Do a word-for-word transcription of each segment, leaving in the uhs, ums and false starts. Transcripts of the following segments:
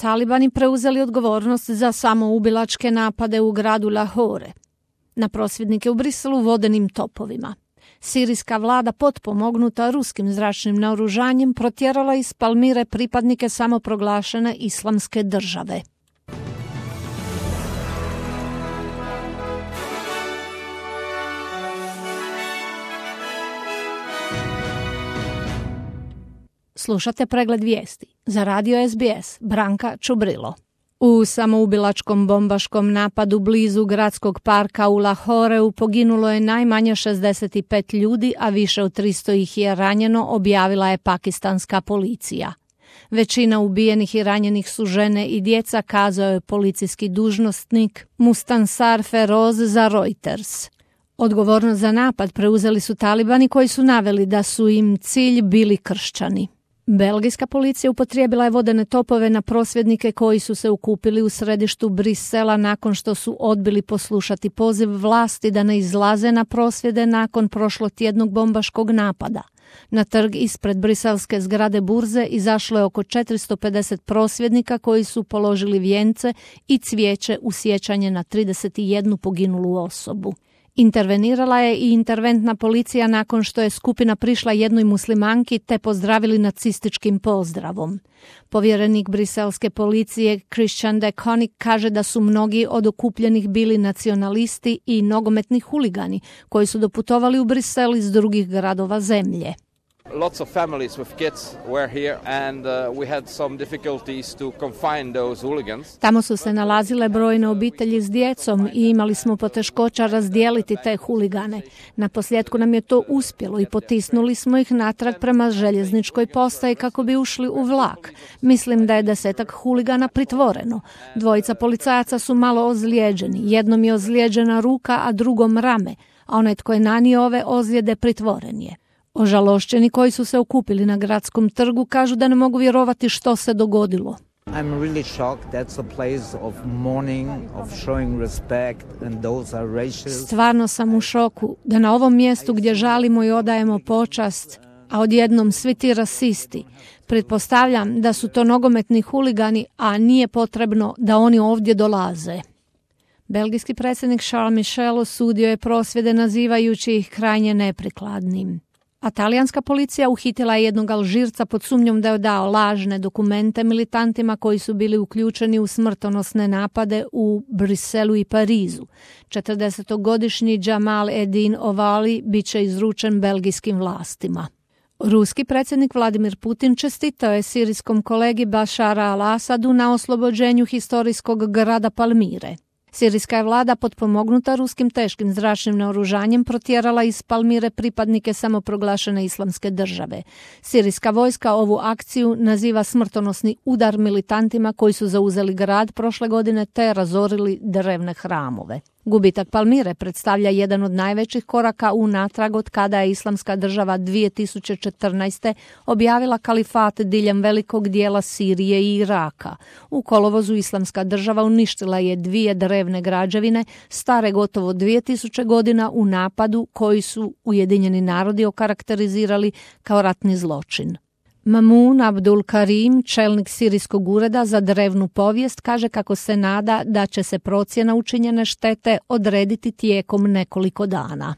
talibani preuzeli odgovornost za samoubilačke napade u gradu Lahore na prosvjednike u Briselu vodenim topovima. Sirijska vlada potpomognuta ruskim zračnim naoružanjem protjerala iz Palmire pripadnike samoproglašene islamske države. Slušate pregled vijesti. Za radio S B S, Branka Čubrilo. U samoubilačkom bombaškom napadu blizu gradskog parka u Lahoreu poginulo je najmanje šezdeset pet ljudi, a više od tristo ih je ranjeno, objavila je pakistanska policija. Većina ubijenih i ranjenih su žene i djeca, kazao je policijski dužnosnik Mustansar Feroz za Reuters. Odgovornost za napad preuzeli su talibani koji su naveli da su im cilj bili kršćani. Belgijska policija upotrijebila je vodene topove na prosvjednike koji su se okupili u središtu Brisela nakon što su odbili poslušati poziv vlasti da ne izlaze na prosvjede nakon prošlotjednog bombaškog napada. Na trg ispred briselske zgrade burze izašlo je oko četiristo pedeset prosvjednika koji su položili vijence i cvijeće u sjećanje na trideset jednu poginulu osobu. Intervenirala je i interventna policija nakon što je skupina prišla jednoj muslimanki te pozdravili nacističkim pozdravom. Povjerenik briselske policije Christian de Koning kaže da su mnogi od okupljenih bili nacionalisti i nogometni huligani koji su doputovali u Brisel iz drugih gradova zemlje. Lots of families with kids were here and uh, we had some difficulties to confine those hooligans. Tamo su se nalazile brojne obitelji s djecom i imali smo poteškoća razdijeliti te huligane. Na posljedku nam je to uspjelo i potisnuli smo ih natrag prema željezničkoj postaji kako bi ušli u vlak. Mislim da je desetak huligana pritvoreno. Dvojica policajaca su malo ozlijeđeni. Jednom je ozlijeđena ruka, a drugom rame, a onaj tko je nanio ove ozljede pritvoren je. Ožalošćeni koji su se okupili na gradskom trgu kažu da ne mogu vjerovati što se dogodilo. I'm really shocked. That's a place of mourning, of showing respect, and those are racist. Stvarno sam u šoku da na ovom mjestu gdje žalimo i odajemo počast, a odjednom svi ti rasisti. Pretpostavljam da su to nogometni huligani, a nije potrebno da oni ovdje dolaze. Belgijski predsjednik Charles Michel osudio je prosvjede nazivajući ih krajnje neprikladnim. A talijanska policija uhitila je jednog Alžirca pod sumnjom da je dao lažne dokumente militantima koji su bili uključeni u smrtonosne napade u Briselu i Parizu. četrdesetogodišnji Jamal Edin Ovali bit će izručen belgijskim vlastima. Ruski predsjednik Vladimir Putin čestitao je sirijskom kolegi Bašara al-Asadu na oslobođenju historijskog grada Palmire. Sirijska je vlada potpomognuta ruskim teškim zračnim naoružanjem protjerala iz Palmire pripadnike samoproglašene islamske države. Sirijska vojska ovu akciju naziva smrtonosni udar militantima koji su zauzeli grad prošle godine te razorili drevne hramove. Gubitak Palmire predstavlja jedan od najvećih koraka unatrag od kada je islamska država dvije tisuće četrnaeste. objavila kalifat diljem velikog dijela Sirije i Iraka. U kolovozu islamska država uništila je dvije drevne građevine stare gotovo dvije tisuće godina u napadu koji su Ujedinjeni narodi okarakterizirali kao ratni zločin. Mamun Abdul Karim, čelnik sirijskog ureda za drevnu povijest, kaže kako se nada da će se procjena učinjene štete odrediti tijekom nekoliko dana.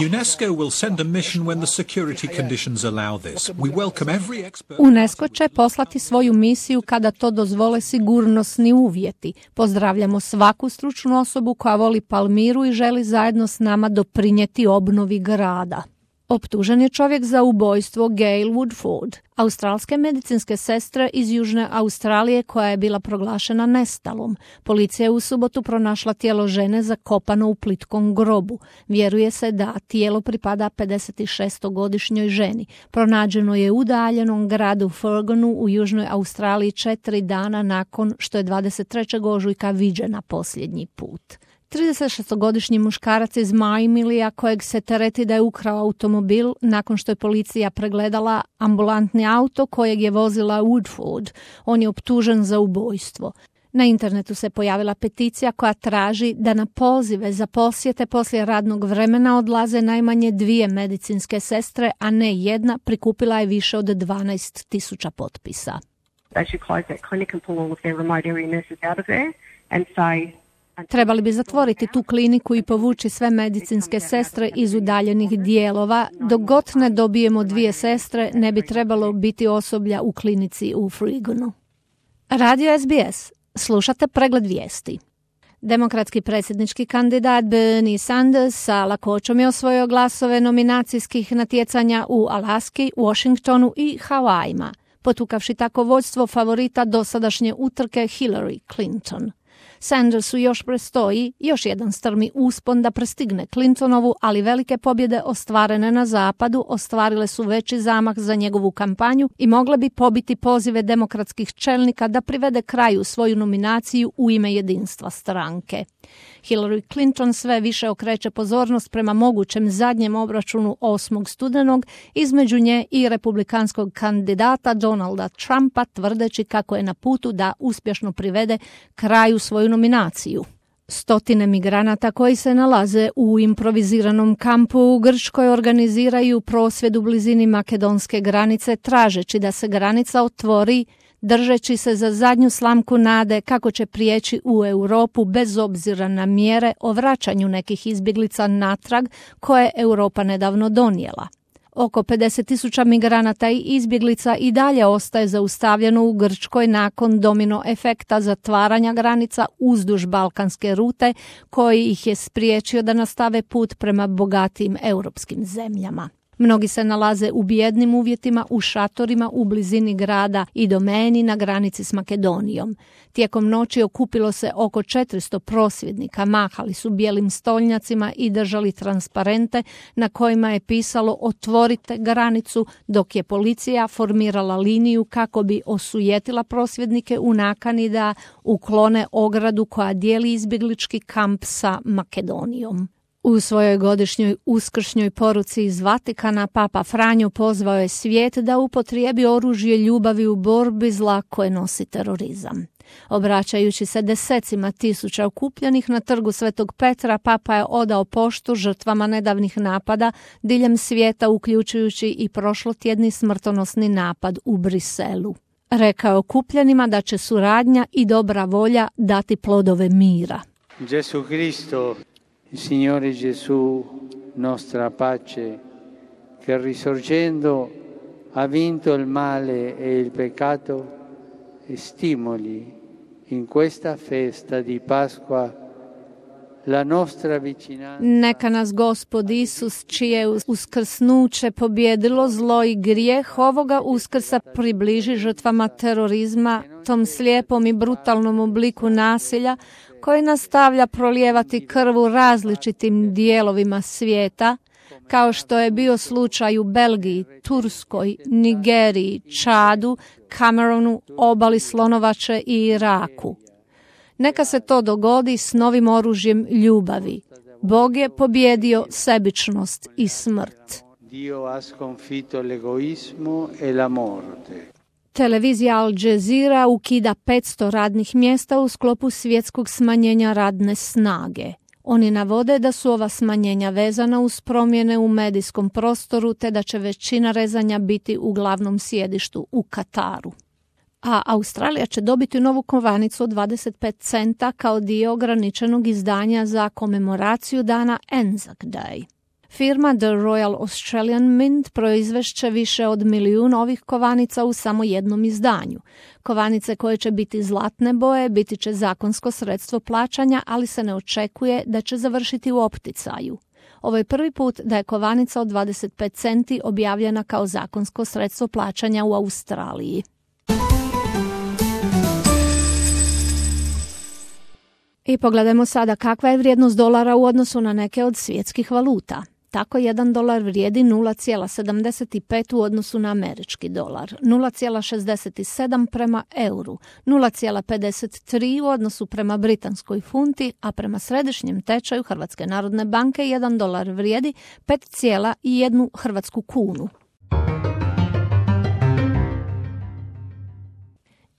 UNESCO will send a mission when the security conditions allow this. We welcome every expert. UNESCO će poslati svoju misiju kada to dozvole sigurnosni uvjeti. Pozdravljamo svaku stručnu osobu koja voli Palmiru i želi zajedno s nama doprinijeti obnovi grada. Optužen je čovjek za ubojstvo Gail Woodford, australske medicinske sestre iz Južne Australije koja je bila proglašena nestalom. Policija je u subotu pronašla tijelo žene zakopano u plitkom grobu. Vjeruje se da tijelo pripada pedesetšestogodišnjoj ženi. Pronađeno je u udaljenom gradu Furgonu u Južnoj Australiji četiri dana nakon što je dvadeset trećeg ožujka viđena posljednji put. tridesetšestogodišnji muškarac iz Majmilija kojeg se tereti da je ukrao automobil nakon što je policija pregledala ambulantni auto kojeg je vozila Woodford. On je optužen za ubojstvo. Na internetu se pojavila peticija koja traži da na pozive za posjete poslije radnog vremena odlaze najmanje dvije medicinske sestre, a ne jedna. Prikupila je više od dvanaest tisuća potpisa. They should close that clinic and pull all of their remote area nurses out of there and say Trebali bi zatvoriti tu kliniku i povući sve medicinske sestre iz udaljenih dijelova. Dok god ne dobijemo dvije sestre, ne bi trebalo biti osoblja u klinici u Frigonu. Radio S B S. Slušate pregled vijesti. Demokratski predsjednički kandidat Bernie Sanders sa lakoćom je osvojio glasove nominacijskih natjecanja u Alaski, Washingtonu i Havajima, potukavši tako vođstvo favorita dosadašnje utrke Hillary Clinton. Sandersu još prestoji još jedan strmi uspon da prestigne Clintonovu, ali velike pobjede ostvarene na zapadu ostvarile su veći zamah za njegovu kampanju i mogle bi pobiti pozive demokratskih čelnika da privede kraju svoju nominaciju u ime jedinstva stranke. Hillary Clinton sve više okreće pozornost prema mogućem zadnjem obračunu osmog studenog između nje i republikanskog kandidata Donalda Trumpa, tvrdeći kako je na putu da uspješno privede kraju svoju nominaciju. Stotine migranata koji se nalaze u improviziranom kampu u Grčkoj organiziraju prosvjed u blizini makedonske granice tražeći da se granica otvori, držeći se za zadnju slamku nade kako će prijeći u Europu bez obzira na mjere o vraćanju nekih izbjeglica natrag koje Europa nedavno donijela. Oko pedeset tisuća migranata i izbjeglica i dalje ostaje zaustavljeno u Grčkoj nakon domino efekta zatvaranja granica uzduž balkanske rute koji ih je spriječio da nastave put prema bogatijim europskim zemljama. Mnogi se nalaze u bijednim uvjetima u šatorima u blizini grada i domeni na granici s Makedonijom. Tijekom noći okupilo se oko četiristo prosvjednika, mahali su bijelim stolnjacima i držali transparente na kojima je pisalo "Otvorite granicu", dok je policija formirala liniju kako bi osujetila prosvjednike u nakani da uklone ogradu koja dijeli izbjeglički kamp sa Makedonijom. U svojoj godišnjoj uskršnjoj poruci iz Vatikana Papa Franjo pozvao je svijet da upotrijebi oružje ljubavi u borbi zla koje nosi terorizam. Obraćajući se desecima tisuća okupljenih na trgu Svetog Petra, Papa je odao poštu žrtvama nedavnih napada diljem svijeta, uključujući i prošlotjedni smrtonosni napad u Briselu. Rekao je okupljenima da će suradnja i dobra volja dati plodove mira. Gesù Cristo, il Signore Gesù, nostra pace, che risorgendo ha vinto il male e il peccato, e stimoli in questa festa di Pasqua la nostra vicinanza. Neka nas Gospod Isus, čije uskrsnuće pobjedilo zlo i grijeh, ovoga uskrsa približi žrtvama terorizma, tom slijepom i brutalnom obliku nasilja koji nastavlja prolijevati krv u različitim dijelovima svijeta, kao što je bio slučaj u Belgiji, Turskoj, Nigeriji, Čadu, Kamerunu, obali Slonovače i Iraku. Neka se to dogodi s novim oružjem ljubavi. Bog je pobjedio sebičnost i smrt. Dio ha sconfitto l'egoismo e la morte. Televizija Al Jazeera ukida petsto radnih mjesta u sklopu svjetskog smanjenja radne snage. Oni navode da su ova smanjenja vezana uz promjene u medijskom prostoru te da će većina rezanja biti u glavnom sjedištu u Kataru. A Australija će dobiti novu kovanicu od dvadeset pet centa kao dio ograničenog izdanja za komemoraciju dana Anzac Day. Firma The Royal Australian Mint proizvešće više od milijun ovih kovanica u samo jednom izdanju. Kovanice koje će biti zlatne boje biti će zakonsko sredstvo plaćanja, ali se ne očekuje da će završiti u opticaju. Ovo je prvi put da je kovanica od dvadeset pet centi objavljena kao zakonsko sredstvo plaćanja u Australiji. I pogledajmo sada kakva je vrijednost dolara u odnosu na neke od svjetskih valuta. Tako jedan dolar vrijedi nula zarez sedamdeset pet u odnosu na američki dolar, nula zarez šezdeset sedam prema euru, nula zarez pedeset tri u odnosu prema britanskoj funti, a prema središnjem tečaju Hrvatske narodne banke jedan dolar vrijedi pet zarez jedan hrvatsku kunu.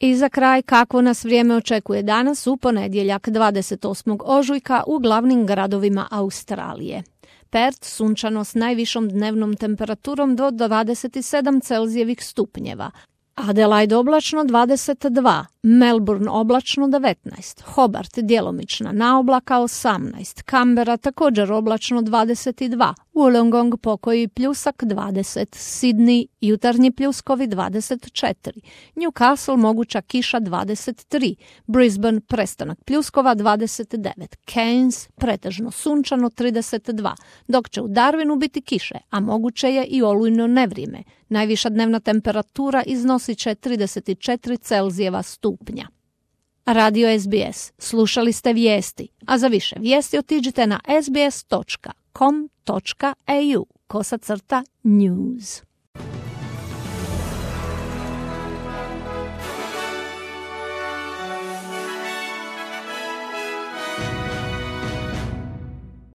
I za kraj, kakvo nas vrijeme očekuje danas u ponedjeljak dvadeset osmog ožujka u glavnim gradovima Australije. Perth sunčano s najvišom dnevnom temperaturom do dvadeset sedam Celzijevih stupnjeva. Adelaide oblačno dvadeset dva, Melbourne oblačno devetnaest, Hobart djelomična naoblaka osamnaest, Canberra također oblačno dvadeset dva, Wollongong pokoji pljusak dvadeset, Sydney jutarnji pljuskovi dvadeset četiri, Newcastle moguća kiša dvadeset tri, Brisbane prestanak pljuskova dvadeset devet, Cairns pretežno sunčano trideset dva, dok će u Darwinu biti kiše, a moguće je i olujno nevrijeme. Najviša dnevna temperatura iznosit će trideset četiri Celzijeva stupnja. Radio S B S. Slušali ste vijesti, a za više vijesti otiđite na sbs točka com točka a u kosacrta news.